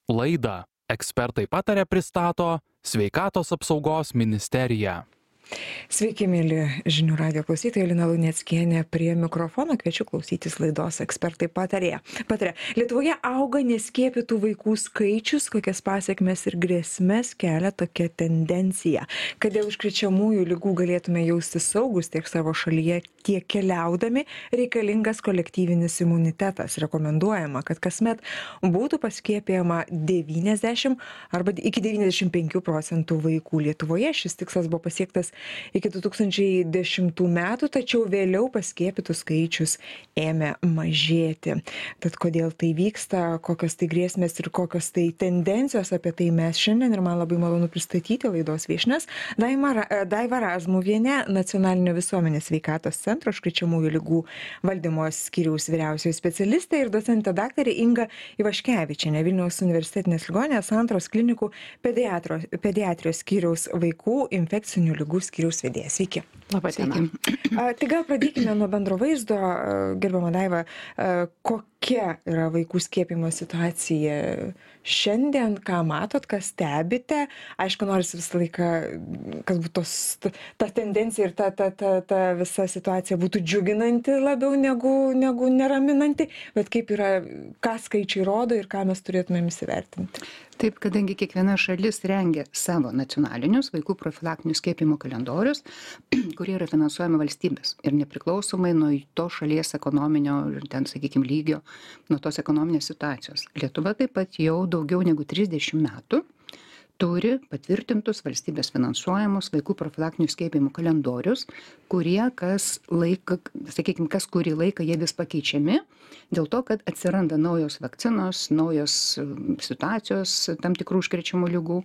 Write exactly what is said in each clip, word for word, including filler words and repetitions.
Laidą Ekspertai pataria pristato Sveikatos apsaugos ministerija. Sveiki, mėly žinių radijo klausytojai, Lina Luneckienė prie mikrofono, kviečiu klausytis laidos Ekspertai patarė. Pataria. Lietuvoje auga neskiepytų vaikų skaičius, kokias pasiekmes ir grėsmes kelia tokia tendencija. Kad dėl užkrečiamųjų ligų galėtume jausti saugus tiek savo šalyje, tiek keliaudami, reikalingas kolektyvinis imunitetas. Rekomenduojama, kad kasmet būtų paskiepijama devyniasdešimt arba iki devyniasdešimt penkių procentų vaikų. Lietuvoje šis tikslas buvo pasiektas iki du tūkstančiai dešimtų metų, tačiau vėliau paskiepytų skaičius ėmė mažėti. Tad kodėl tai vyksta, kokios tai grėsmės ir kokios tai tendencijos, apie tai mes šiandien ir man labai malonu pristatyti laidos viešnias. Daiva Razmuvienė, Nacionalinio visuomenės sveikatos centro užkrečiamųjų ligų valdymo skyriaus vyriausioji specialistė ir docentė daktarė Inga Ivaškevičienė, Vilniaus universitetinės ligoninės Santaros klinikų pediatrijos skyriaus vaikų infekcinių ligų skyriaus vedėja. Sveiki. Labą dieną. Tai gal pradėkime nuo bendro vaizdo. Gerbiama Daiva, kokia yra vaikų skiepimo situacija šiandien, ką matot, ką stebite? Aišku, norisi visą laiką, kad būtų tos, ta tendencija ir ta, ta, ta, ta visa situacija būtų džiuginanti labiau negu, negu neraminanti, bet kaip yra, ką skaičiai rodo ir ką mes turėtumėm įsivertinti? Taip, kadangi kiekviena šalis rengia savo nacionalinius vaikų profilaktinių skiepimo kalendorius, kurie yra finansuojami valstybės ir nepriklausomai nuo to šalies ekonominio ir ten, sakykime, lygio, nuo tos ekonominės situacijos. Lietuva taip pat jau daugiau negu trisdešimt metų turi patvirtintus valstybės finansuojamus vaikų profilaktinių skiepimų kalendorius, kurie kas laiką, sakykime, kas kurį laiką jie vis pakeičiami, dėl to, kad atsiranda naujos vakcinos, naujos situacijos tam tikrų užkrečiamų ligų.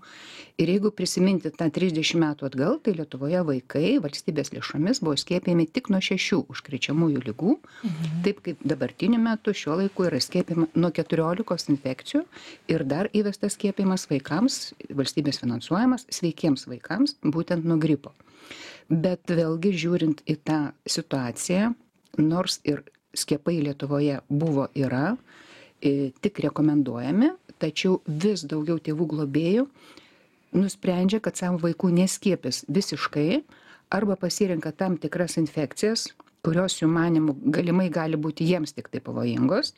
Ir jeigu prisiminti tą trisdešimt metų atgal, tai Lietuvoje vaikai valstybės lėšomis buvo skiepijami tik nuo šešių užkrečiamųjų ligų, mhm. taip kaip dabartiniu metu šiuo laiku yra skiepijama nuo keturiolikos infekcijų ir dar įvestas skiepijimas vaikams, valstybės finansuojamas sveikiems vaikams, būtent nuo gripo. Bet vėlgi žiūrint į tą situaciją, nors ir skiepai Lietuvoje buvo, yra, tik rekomenduojami, tačiau vis daugiau tėvų globėjų nusprendžia, kad savo vaikų neskiepys visiškai arba pasirenka tam tikras infekcijas, kurios jų manimų galimai gali būti jiems tik tai pavojingos,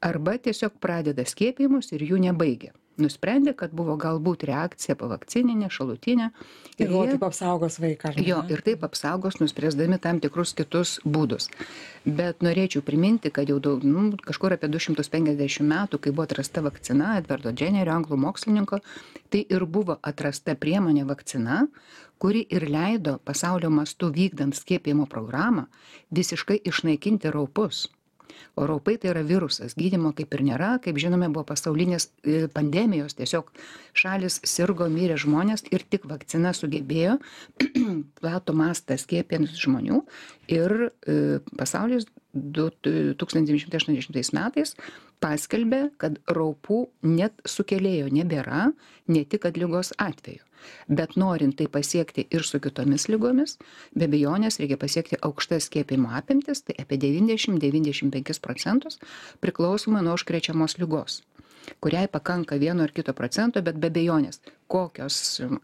arba tiesiog pradeda skiepijimus ir jų nebaigia. Nusprendė, kad buvo galbūt reakcija pavakcininė, šalutinė. Ir jie taip apsaugos vaiką. Jo, ir taip apsaugos, nuspręsdami tam tikrus kitus būdus. Bet norėčiau priminti, kad jau daug, nu, kažkur apie du šimtus penkiasdešimt metų, kai buvo atrasta vakcina Edvardo Jennerio, anglų mokslininko, tai ir buvo atrasta priemonė vakcina, kuri ir leido pasaulio mastu vykdant skiepijimo programą visiškai išnaikinti raupus. O raupai tai yra virusas, gydymo kaip ir nėra, kaip žinome, buvo pasaulinės pandemijos, tiesiog šalis sirgo, mirė žmonės ir tik vakcina sugebėjo platų mastą skiepijant žmonių ir e, pasaulis tūkstantis devyni šimtai aštuoniasdešimtais metais paskelbė, kad raupų net sukėlėjo nebėra, ne tik kad ligos atveju. Bet norint tai pasiekti ir su kitomis ligomis, be abejonės reikia pasiekti aukštas skiepimo apimtis, tai apie devyniasdešimt iki devyniasdešimt penkis procentus priklausomai nuo užkrečiamos ligos, kuriai pakanka vieno ar kito procento, bet be abejonės, kokios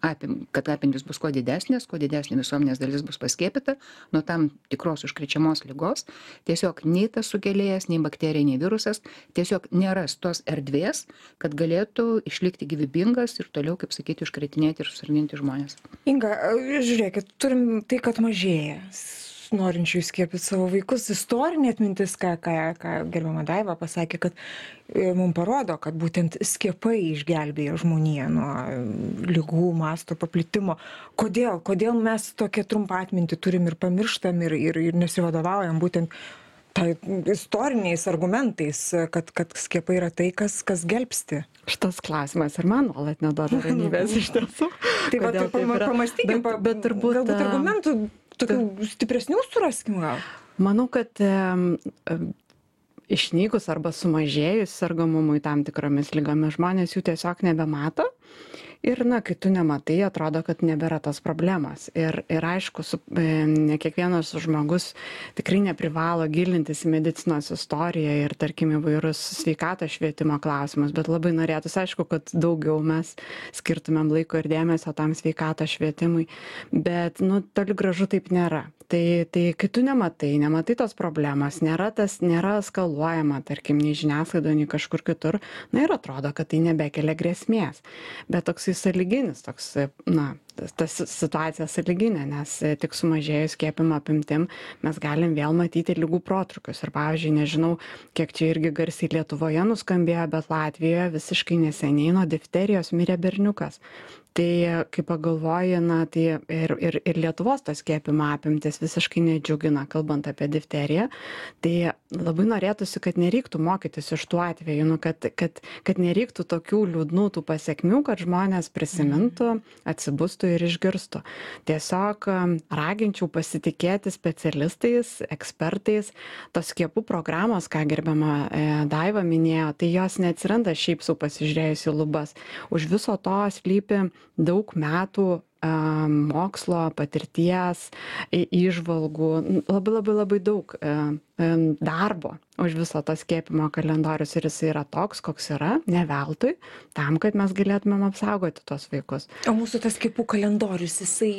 apim, kad apimtis bus kuo didesnės, kuo didesnė visuomenės dalis bus paskiepyta nuo tam tikros užkrečiamos ligos, tiesiog nei tas sukėlėjas, nei bakterija, nei virusas, tiesiog neras tos erdvės, kad galėtų išlikti gyvybingas ir toliau, kaip sakyti, užkretinėti ir susirgdinti žmonės. Inga, žiūrėkit, turim tai, kad mažėja norinčių skiepyti savo vaikus. Istorinė atmintis, ką, ką, ką gerbiama Daiva pasakė, kad mums parodo, kad būtent skiepai išgelbėjo žmoniją nuo ligų masto paplitimo. Kodėl? Kodėl mes tokią trumpą atmintį turim ir pamirštam ir, ir, ir nesivadovaujam būtent tai istoriniais argumentais, kad, kad skiepai yra tai, kas, kas gelbsti? Šitas klausimas ir man nuolat neduoda ramybės iš tiesų. Tai va, tai pamastykim, bet, bet turbūt, galbūt argumentų tokių stipresnių suraskim gal? Manau, kad e, e, išnykus arba sumažėjus sergamumui tam tikromis lygomis žmonės jų tiesiog nebemato Ir, na, kai tu nematai, atrodo, kad nebėra tos problemos. Ir, ir aišku, su, ne kiekvienas žmogus tikrai neprivalo gilintis į medicinos istoriją ir, tarkim, įvairius sveikatos švietimo klausimus, bet labai norėtųsi, aišku, kad daugiau mes skirtumėm laiko ir dėmesio tam sveikatos švietimui. Bet, nu, toli gražu taip nėra. Tai, tai kai tu nematai, nematai tos problemos, nėra tas, nėra eskaluojama, tarkim, nei žiniasklaidoje, nei kažkur kitur, na ir atrodo, kad tai nebekelia grėsmės. Bet toks sąlyginis, toks, na, ta situacija sąlyginė, nes tik sumažėjus skiepimo apimtim mes galim vėl matyti ligų protrukius. Ir pavyzdžiui, nežinau, kiek čia irgi garsiai Lietuvoje nuskambėjo, bet Latvijoje visiškai neseniai nuo difterijos mirė berniukas. Tai kai pagalvoji, na, tai ir, ir, ir Lietuvos tos skiepimo apimtis visiškai nedžiugina, kalbant apie difteriją, tai labai norėtųsi, kad nereiktų mokytis iš tų atvejų, nu, kad, kad, kad nereiktų tokių liūdnų tų pasiekmių, kad žmonės prisimintų, atsibustų ir išgirstų. Tiesiog raginčiau pasitikėti specialistais, ekspertais, tos skiepų programos, ką gerbiama Daiva minėjo, tai jos neatsiranda šiaip sau pasižiūrėjus į lubas. Už viso to slypi daug metų mokslo, patirties, įžvalgų, labai labai labai daug darbo už viso to skiepimo kalendorius ir jis yra toks, koks yra, ne veltui, tam, kad mes galėtumėm apsaugoti tos vaikus. O mūsų tas skiepų kalendorius, jisai,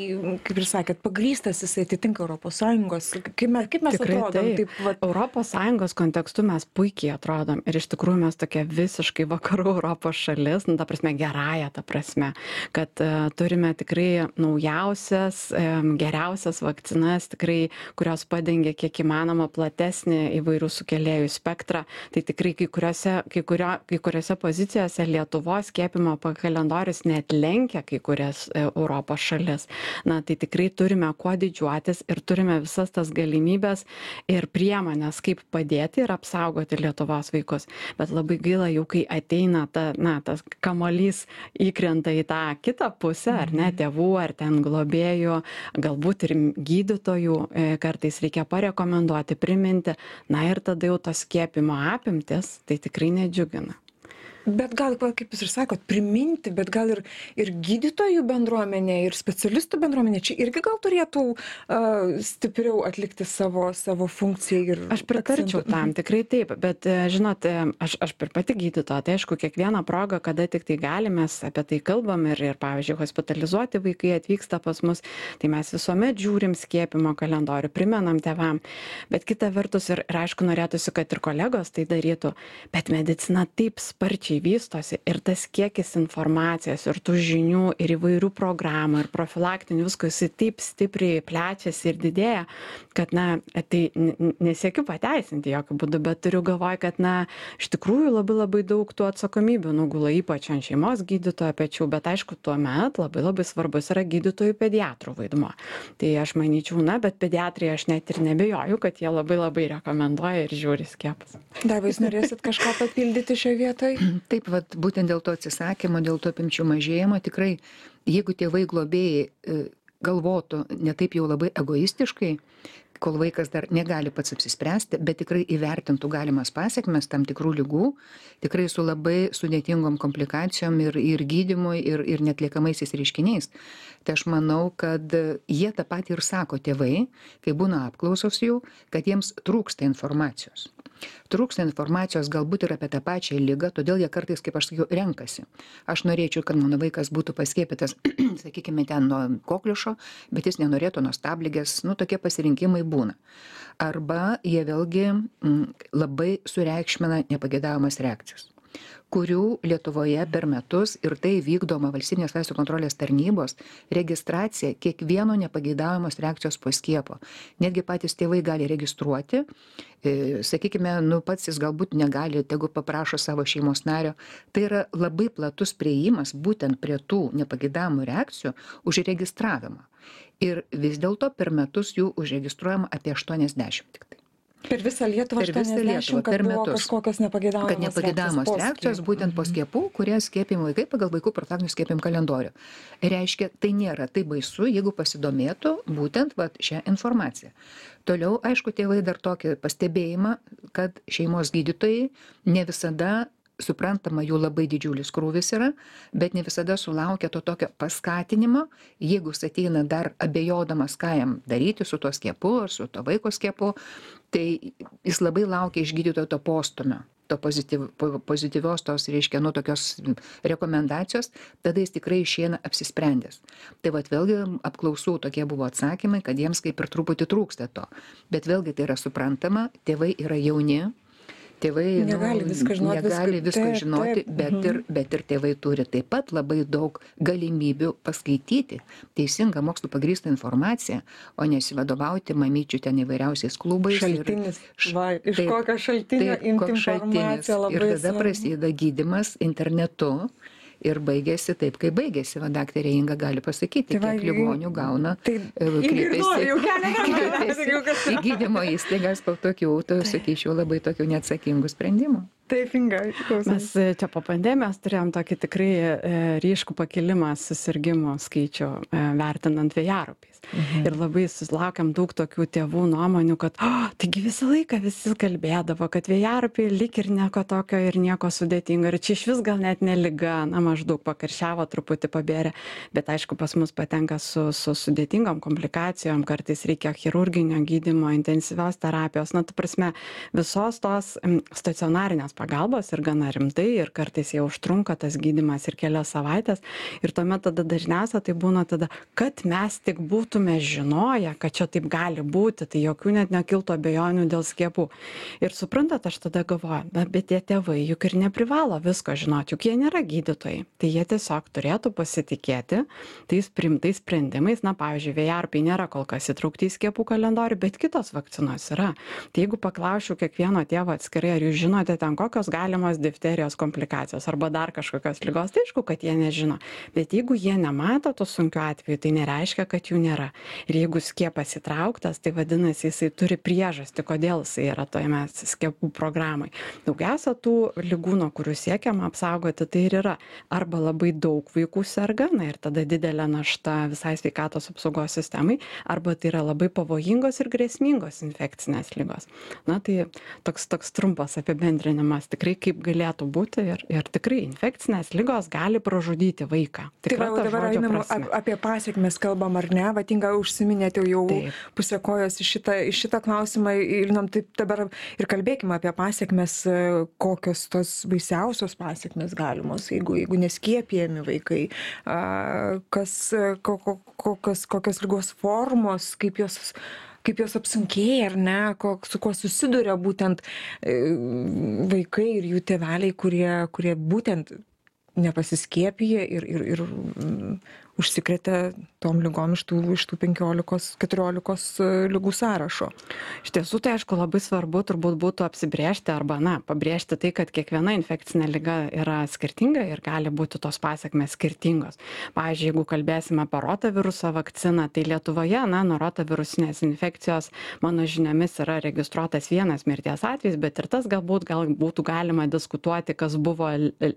kaip ir sakėt, pagrįstas, jisai atitinka Europos Sąjungos, kaip mes, kaip mes Tikrai atrodom? Taip. Taip, va... Europos Sąjungos kontekstu mes puikiai atrodom ir iš tikrųjų mes tokia visiškai vakarų Europos šalis, nu, ta prasme gerąją ta prasme, kad uh, turime tikrai naujausias, um, geriausias vakcinas, tikrai, kurios padengia kiek įmanoma platesnį įvairių sukėlėjų spektrą. Tai tikrai kai kuriuose, kai kurio, kai kuriuose pozicijose Lietuvos skiepimo kalendorius net lenkia kai kurias Europos šalis. Na, tai tikrai turime kuo didžiuotis ir turime visas tas galimybės ir priemonės, kaip padėti ir apsaugoti Lietuvos vaikus. Bet labai gaila, jau kai ateina ta, na, tas kamuolys įkrenta į tą kitą pusę, ar ne, tėvų, ar ten globėjų, galbūt ir gydytojų, kartais reikia parekomenduoti, priminti. Na ir tada jau tos skiepimo apimtis, tai tikrai nedžiugina. Bet gal, kaip jūs ir sakot, priminti, bet gal ir, ir gydytojų bendruomenė, ir specialistų bendruomenė čia irgi gal turėtų uh, stipriau atlikti savo, savo funkciją. Ir aš pritarčiau tam, tikrai taip, bet žinot, aš, aš per pati gydytoja, tai aišku, kiekvieną progą, kada tik tai galime, apie tai kalbam ir, ir pavyzdžiui, hospitalizuoti vaikai atvyksta pas mus, tai mes visuomet žiūrim skiepimo kalendorių, primenam tėvam, bet kita vertus ir, ir aišku, norėtųsi, kad ir kolegos tai darytų, bet medicina taip sparčiai vystosi ir tas kiekis informacijos ir tų žinių ir įvairių programų ir profilaktinių visko jisai taip stipriai plečiasi ir didėja, kad, na, tai nesiekiu pateisinti jokių būdų, bet turiu galvoj, kad, na, iš tikrųjų labai labai daug tų atsakomybių nugula ypač ant šeimos gydytojo pečių, bet aišku, tuomet labai labai svarbus yra gydytojų pediatrų vaidmuo. Tai aš manyčiau, na, bet pediatrai aš net ir nebejoju, kad jie labai labai rekomenduoja ir žiūri skiepus. Dar jūs norėsit kažką papildyti šioje vietoje? Taip, vat, būtent dėl to atsisakymo, dėl to apimčių mažėjimo, tikrai, jeigu tėvai globėjai galvotų ne taip jau labai egoistiškai, kol vaikas dar negali pats apsispręsti, bet tikrai įvertintų galimas pasiekmes tam tikrų ligų, tikrai su labai sudėtingom komplikacijom ir, ir gydymui, ir, ir netliekamaisiais reiškiniais. Tai aš manau, kad jie tą patį ir sako tėvai, kai būna apklausos jų, kad jiems trūksta informacijos. Trūksta informacijos galbūt ir apie tą pačią ligą, todėl jie kartais, kaip aš sakiau, renkasi. Aš norėčiau, kad mano vaikas būtų paskiepytas, sakykime, ten nuo kokliušo, bet jis nenorėtų nuo stabligės, nu, tokie pasirinkimai būna. Arba jie vėlgi m, labai sureikšmina nepageidavimas reakcijas, kurių Lietuvoje per metus ir tai vykdoma valstybinės vaistų kontrolės tarnybos registracija kiekvieno nepageidaujamos reakcijos po skiepo. Netgi patys tėvai gali registruoti, e, sakykime, nu pats jis galbūt negali, tegu paprašo savo šeimos nario. Tai yra labai platus priėjimas būtent prie tų nepageidavimų reakcijų užregistravimą. Ir vis dėlto per metus jų užregistruojama apie aštuoniasdešimt tik tai. Per visą Lietuvą per visą Lietuvą per metus. Kažkokios nepageidaujamos kad nepageidaujamos reakcijos, reakcijos būtent po skiepų, kurie skiepijami vaikai pagal vaikų profilaktinių skiepijimų kalendorių. Reiškia, tai nėra taip baisu, jeigu pasidomėtų būtent vat, šią informaciją. Toliau, aišku, tėvai dar tokį pastebėjimą, kad šeimos gydytojai ne visada suprantama, jų labai didžiulis krūvis yra, bet ne visada sulaukia to tokio paskatinimo, jeigu jis ateina dar abejodamas, ką jam daryti su tuo skiepu ar su to vaiko skiepu, tai jis labai laukia iš gydytojo to postumio, to pozityv, pozityvios tos, reiškia, nu, tokios rekomendacijos, tada jis tikrai išeina apsisprendęs. Tai vat vėlgi apklausų tokie buvo atsakymai, kad jiems kaip ir truputį trūksta to. Bet vėlgi tai yra suprantama, tėvai yra jauni, tėvai negali nu, viską žinoti, negali viską- viską taip, žinoti, taip, bet, mhm. ir, bet ir tėvai turi taip pat labai daug galimybių paskaityti teisingą mokslų pagrįstą informaciją, o nesivadovauti mamyčių ten įvairiausiais klubais. Šaltinis. Š- Va, iš taip, kokio šaltinio taip, imti koks šaltinis. informaciją labai Ir tada svarbu. prasideda gydymas internetu. Ir baigėsi taip, kaip baigėsi. Va, daktarė Inga gali pasakyti, Tai va, kiek ligonių gauna. Tai e, ignoruoju, jau keletą metų, kreipiasi jau kas- į gydymo įstaigas po tokių, tai sakyčiau, labai tokių neatsakingų sprendimų. Taip, Inga, klausom. Mes e, čia po pandemijos turėjom tokį tikrai e, ryškų pakilimą susirgymų skaičių e, vertinant vėjaraupiais. Mhm. Ir labai susilaukėm daug tokių tėvų nuomonių, kad oh, taigi visą laiką visi kalbėdavo, kad vėjaraupiai lyg ir nieko tokio ir nieko sudėtingo. Ir čia iš vis gal net ne liga, na maždaug pakaršiavo, truputį pabėrė. Bet aišku, pas mus patenka su, su sudėtingom komplikacijom, kartais reikia chirurginio gydymo, intensyvios terapijos. Na, tu prasme, visos tos m, stacionarinės pagalbos ir gana rimtai, ir kartais jau užtrunka tas gydymas ir kelias savaitės. Ir tuomet tada dažniausia tai būna tada, kad mes tik būtume žinoję, kad čia taip gali būti, tai jokių net nekiltų abejonių dėl skiepų. Ir suprantat, aš tada galvoju, bet, bet tie tėvai juk ir neprivalo visko žinoti, juk jie nėra gydytojai. Tai jie tiesiog turėtų pasitikėti tais priimtais sprendimais. Na, pavyzdžiui, vėjaraupiai nėra kol kas įtraukti į skiepų kalendorių, bet kitos vakcinos yra. Tai jeigu paklausčiau kiekvieno tėvo atskirai, ar jūs žinote ten kokios galimos difterijos komplikacijos arba dar kažkokios ligos, tai aišku, kad jie nežino. Bet jeigu jie nemato to sunkiu atveju, tai nereiškia, kad jų nėra. Ir jeigu skiepas įtrauktas, tai vadinasi, jisai turi priežastį, kodėl jisai yra toje skiepų programai. Daugiausia tų ligų, nuo kurių siekiama apsaugoti, tai ir yra arba labai daug vaikų serga, na ir tada didelė našta visai sveikatos apsaugos sistemai, arba tai yra labai pavojingos ir grėsmingos infekcinės ligos. Na tai toks, toks trumpas apibendrinimas tikrai kaip galėtų būti ir, ir tikrai infekcinės ligos gali pražudyti vaiką. Tai va, dabar einam ap- apie pasiekmes kalbam, ar ne? Va, Inga, užsiminėte jau Taip. pusę kojos į šitą, į šitą klausimą ir nam taip dabar ir kalbėkime apie pasiekmes, e, kokios tos baisiausios pasiekmes galimos, jeigu, jeigu neskiepijami vaikai, a, kas, e, ko, ko, kokios, kokios ligos formos, kaip jos kaip jos apsunkėja, ar ne, ko, su kuo susiduria būtent e, vaikai ir jų tėveliai, kurie, kurie būtent nepasiskiepija ir, ir, ir mm, užsikrėtė tom ligom iš tų, iš tų penkiolikos keturiolikos ligų sąrašo. Iš tiesų, tai aišku, labai svarbu turbūt būtų apsibrėžti arba, na, pabrėžti tai, kad kiekviena infekcinė liga yra skirtinga ir gali būti tos pasiekmes skirtingos. Pavyzdžiui, jeigu kalbėsime apie rotaviruso vakciną, tai Lietuvoje, na, nuo rotavirusinės infekcijos, mano žiniomis, yra registruotas vienas mirties atvejis, bet ir tas galbūt gal būtų galima diskutuoti, kas buvo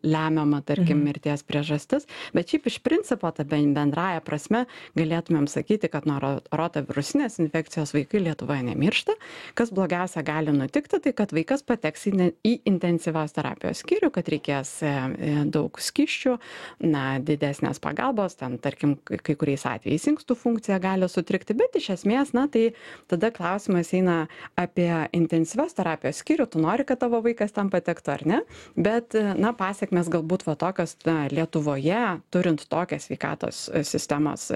lemiama, tarkim, mhm. mirties priežastis, bet šiaip iš principo, ta bendraja prasme, galėtumėm sakyti, kad nuo rotavirusinės infekcijos vaikai Lietuvoje nemiršta. Kas blogiausia gali nutikti, tai kad vaikas pateks į, ne, į intensyvios terapijos skyrių, kad reikės e, daug skysčių, na, didesnės pagalbos, ten, tarkim, kai kuriais atvejais inkstų funkcija gali sutrikti, bet iš esmės, na, tai tada klausimas eina apie intensyvios terapijos skyrių, tu nori, kad tavo vaikas tam patektų ar ne, bet, na, pasiekmes galbūt va tokios, na, Lietuvoje, turint tokią sveikatos sistemos,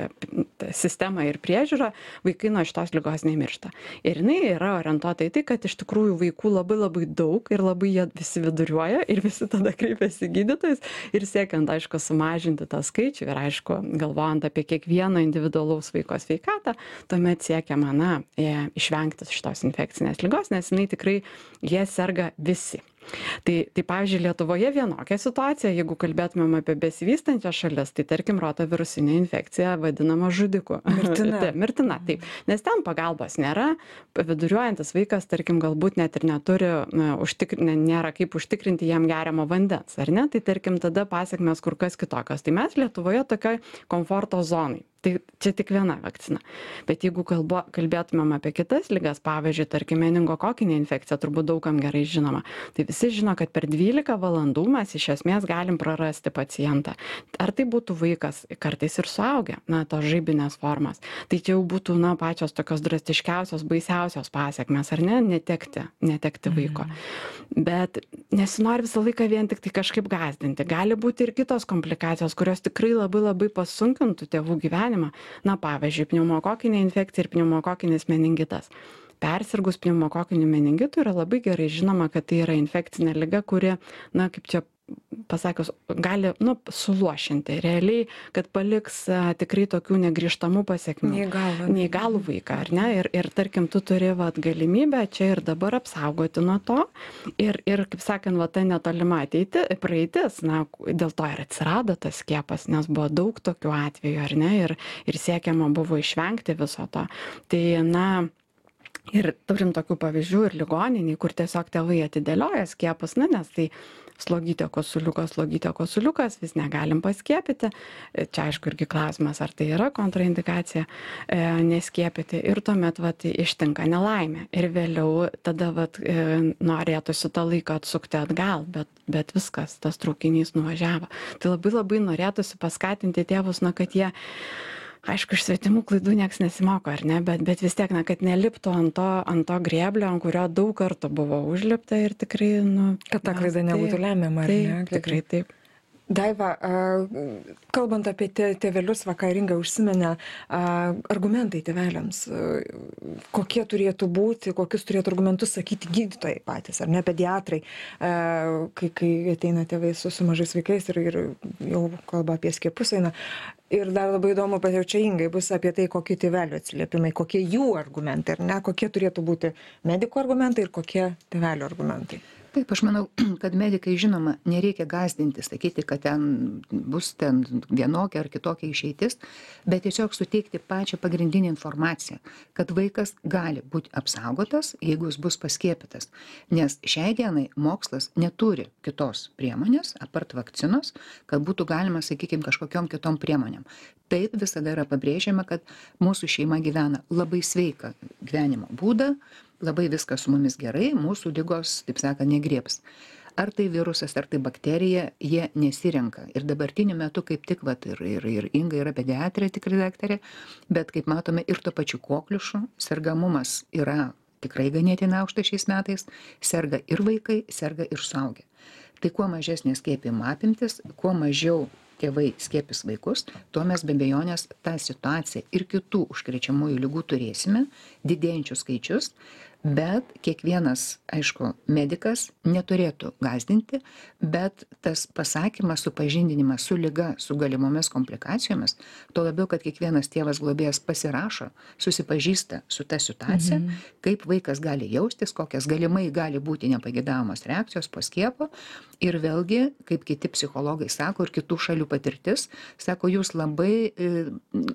sistemą ir priežiūrą, vaikai nuo šitos ligos nemiršta. Ir jinai yra orientuota į tai, kad iš tikrųjų vaikų labai labai daug ir labai jie visi viduriuoja ir visi tada kreipiasi gydytojus ir siekiant, aišku, sumažinti tą skaičių ir, aišku, galvojant apie kiekvieno individualaus vaiko sveikatą, tuomet siekiama, na, išvengti šitos infekcinės ligos, nes jinai tikrai jie serga visi. Tai, tai pavyzdžiui, Lietuvoje vienokia situacija, jeigu kalbėtumėm apie besivystančias šalis, tai tarkim rotavirusinė infekcija vadinama žudiku. Mirtina. Taip, mirtina, taip. Nes ten pagalbos nėra, viduriuojantis vaikas, tarkim, galbūt net ir neturi, na, užtikri, nėra kaip užtikrinti jam geriamo vandens, ar ne? Tai tarkim, tada pasiekmes kur kas kitokios. Tai mes Lietuvoje tokioj komforto zonai Tai čia tik viena vakcina. Bet jeigu kalbo, kalbėtumėm apie kitas ligas, pavyzdžiui, tarkim, meningokokinė infekcija, turbūt daugam gerai žinoma, tai visi žino, kad per dvylika valandų mes iš esmės galim prarasti pacientą. Ar tai būtų vaikas, kartais ir suaugę, na, tos žaibinės formos. Tai čia jau būtų, na, pačios tokios drastiškiausios, baisiausios pasiekmes, ar ne, netekti, netekti vaiko. Mhm. Bet nesinori visą laiką vien tik tai kažkaip gąsdinti. Gali būti ir kitos komplikacijos, kurios tikrai labai labai pasunkintų tėvų gyvenimą. Na, pavyzdžiui, pneumokokinė infekcija ir pneumokokinis meningitas. Persirgus pneumokokiniu meningitu yra labai gerai žinoma, kad tai yra infekcinė liga, kuri, na, kaip čia pasakius, gali, nu, suluošinti realiai, kad paliks a, tikrai tokių negrįžtamų pasiekmių. Neįgalų. Neįgalų vaiką, ar ne? Ir, ir tarkim, tu turi vat, galimybę čia ir dabar apsaugoti nuo to. Ir, ir kaip sakant, va, ta netolima ateiti, praeitis, na, dėl to ir atsirado tas skiepas, nes buvo daug tokių atvejų, ar ne? Ir, ir siekiama buvo išvengti viso to. Tai, na, ir turim tokių pavyzdžių ir ligoniniai, kur tiesiog tėvai atidėlioja skiepus, na, nes tai slogytė kosuliukas, slogytė kosuliukas, vis negalim paskiepyti. Čia aišku irgi klausimas, ar tai yra kontraindikacija e, neskiepyti. Ir tuomet vat, ištinka nelaimė. Ir vėliau tada vat, e, norėtųsi tą laiką atsukti atgal, bet, bet viskas, tas traukinys nuvažiavo. Tai labai labai norėtųsi paskatinti tėvus, na, kad jie aišku, iš svetimų klaidų nieks nesimoko, ar ne, bet, bet vis tiek, na, kad neliptų ant to, ant to grėblio, ant kurio daug kartų buvo užlipta ir tikrai, nu... Kad ta klaida nebūtų lemiama, ar ne? Taip, tikrai taip. Daiva, kalbant apie tėvelius, vakar Inga užsiminė, argumentai tėveliams, kokie turėtų būti, kokius turėtų argumentus sakyti gydytojai patys, ar ne, pediatrai, kai, kai ateina tėvai su, su mažais vaikais ir, ir jau kalba apie skiepus eina. Ir dar labai įdomu, bet jau čia Ingai bus apie tai, kokie tėvelių atsiliepimai, kokie jų argumentai, ar ne, kokie turėtų būti medikų argumentai ir kokie tėvelių argumentai. Taip, aš manau, kad medikai, žinoma, nereikia gąsdinti, sakyti, kad ten bus ten vienokia ar kitokia išeitis, bet tiesiog suteikti pačią pagrindinę informaciją, kad vaikas gali būti apsaugotas, jeigu jis bus paskiepytas. Nes šiai dienai mokslas neturi kitos priemonės, apart vakcinos, kad būtų galima, sakykime, kažkokiom kitom priemonėm. Taip visada yra pabrėžiama, kad mūsų šeima gyvena labai sveiką gyvenimo būdą, labai viskas su mumis gerai, mūsų ligos, taip sakant, negriebs. Ar tai virusas, ar tai bakterija, jie nesirenka. Ir dabartiniu metu kaip tik, vat, ir, ir, ir Inga yra pediatrė, tikrai daktarė, bet kaip matome ir to pačiu kokliušu, sergamumas yra tikrai ganėtinai aukštas šiais metais, serga ir vaikai, serga ir suaugę. Tai kuo mažesnė skiepijimo apimtis, kuo mažiau tėvai skiepys vaikus, tuo mes be abejonės tą situaciją ir kitų užkrečiamųjų ligų turėsime, didėjančius skaičius, bet kiekvienas, aišku, medikas neturėtų gąsdinti, bet tas pasakymas, supažindinimas su liga, su galimomis komplikacijomis, tuo labiau, kad kiekvienas tėvas globėjas pasirašo, susipažįsta su ta situacija, mhm. kaip vaikas gali jaustis, kokias galimai gali būti nepagėdavamos reakcijos po skiepo. Ir vėlgi, kaip kiti psichologai sako ir kitų šalių patirtis, sako, jūs labai e,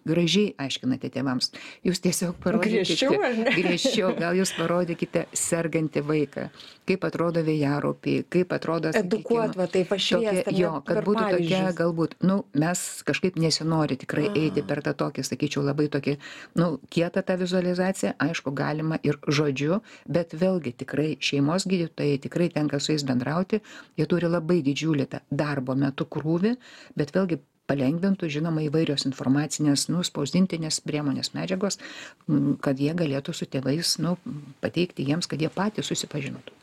gražiai aiškinate tėvams. Jūs tiesiog parodykite, griežčiau, ar ne? griežčiau, gal jūs parodykite sergantį vaiką, kaip atrodo vėjaraupiai, kaip atrodo, edukuot, va, taip pašviesti. Jo, kad būtų tokia, galbūt, nu, mes kažkaip nesinori tikrai eiti per tą tokį, sakyčiau, labai tokį, nu, kietą tą vizualizaciją, aišku, galima ir žodžiu, bet vėlgi tikrai šeimos gydytojai, tikrai tenka su jais bendrauti, jie turi labai didžiulį tą darbo metu krūvį, bet vėlgi palengvintų, žinoma, įvairios informacinės, nu, spausdintinės priemonės medžiagos, kad jie galėtų su tėvais, nu, pateikti jiems, kad jie patys susipažinotų.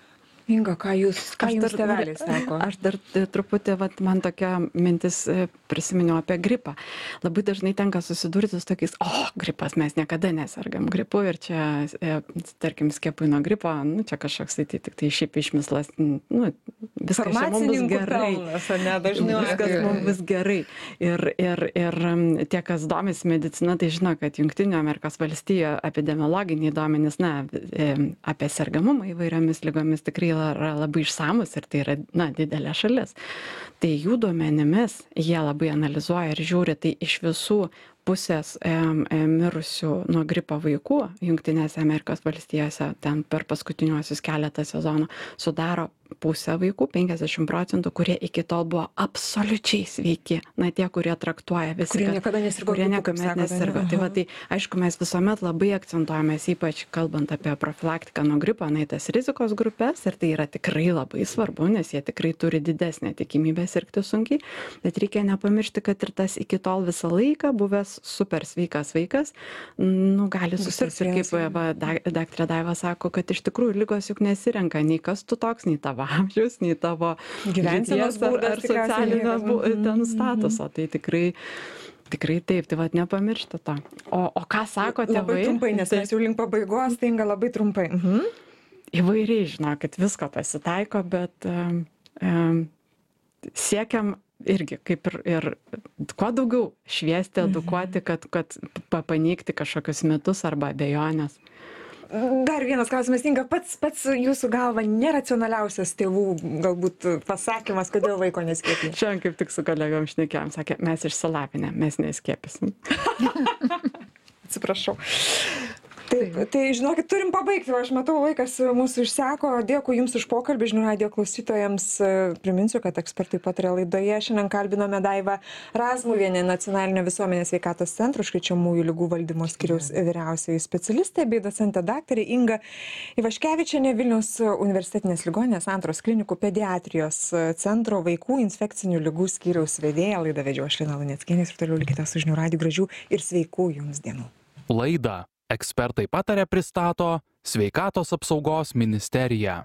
Inga, ką jūs, ką Aš jums dar- tėveliai sako? Aš dar e, truputį, vat, man tokia mintis e, prisiminiau apie gripą. Labai dažnai tenka susidurti su tokiais, o, gripas, mes niekada nesergam gripu ir čia, e, tarkim, skiepui nuo gripo, nu, čia kažkoks tai tik tai šiaip išmislas, nu, viskas čia mums bus gerai. pelnas, ar ne, dažnai Viskas mums bus gerai. Ir, ir, ir um, tie, kas domisi medicina, tai žino, kad Jungtinių Amerikos valstijų epidemiologiniai duomenys, na, e, apie sergamumą įvairiomis lygomis tikrai yra labai išsamus ir tai yra, na, didelė šalis. Tai jų duomenimis jie labai analizuoja ir žiūri, tai iš visų pusės em, em, mirusių nuo gripo vaikų Jungtinėse Amerikos valstijose ten per paskutiniuosius keletą sezonų sudaro pusę vaikų, penkiasdešimt procentų, kurie iki tol buvo absoliučiai sveiki. Na, tie, kurie traktuoja visi, Kurie kad- niekada nesirgo kurie gripu, kaip niekuomet sakote, nesirgo. ne? Tai, va, Aha. tai aišku, mes visuomet labai akcentuojamės, ypač kalbant apie profilaktiką nuo gripo, na, į tas rizikos grupės, ir tai yra tikrai labai svarbu, nes jie tikrai turi didesnę tikimybę sirgti sunkiai, bet reikia nepamiršti, kad ir tas iki tol visą laiką buvęs super sveikas vaikas, nu, gali susirgti. Ir kaip vėjas, va, dak- daktarė Daiva sako, kad iš tikrųjų lygos juk nesirenka nei kas tu toks, nei tavo amžius, nei tavo Gyvensenos lyties ar- būdas ar tikriausiai socialinio niekas. bu- Mhm, ten mhm. statuso. Tai tikrai Tikrai taip, tai vad nepamiršti to. O, o ką sako tėvai? Labai trumpai, nes Tai mes jau link pabaigos, tai Inga labai trumpai. Mhm. įvairiai, žinokit, visko pasitaiko, bet um, um, siekiam irgi kaip ir, ir kuo daugiau šviesti, edukuoti, kad, kad pa- paneigti kažkokius mitus arba abejonės. Dar vienas klausimas, Inga, pats, pats jūsų galva neracionaliausias tėvų galbūt pasakymas, kodėl vaiko neskiepija. Šiandien kaip tik su kolegom šnekėjom, sakė, mes išsilavinę, mes neskiepysim. Atsiprašau. Taip, tai žinokit, turim pabaigti, aš matau, laikas mūsų išseko. Dėkui Jums už pokalbį, žinių radijo klausytojams. Priminsiu, kad ekspertai pataria laidoje. Šiandien kalbinome Daivą Razmuvienę, Nacionalinio visuomenės sveikatos centro užkrečiamųjų ligų valdymo skyriaus vyriausioji specialistė, bei docentė daktarė Inga Ivaškevičienė, Vilniaus universitetinės ligoninės Santaros klinikų pediatrijos centro vaikų infekcinių ligų skyriaus vedėja. Laidą vedžiau aš Lina Luneckienė ir toliau likite su žinių radiju. Gražių ir sveikų Jums dienų. Laidą ekspertai pataria pristato Sveikatos apsaugos ministerija.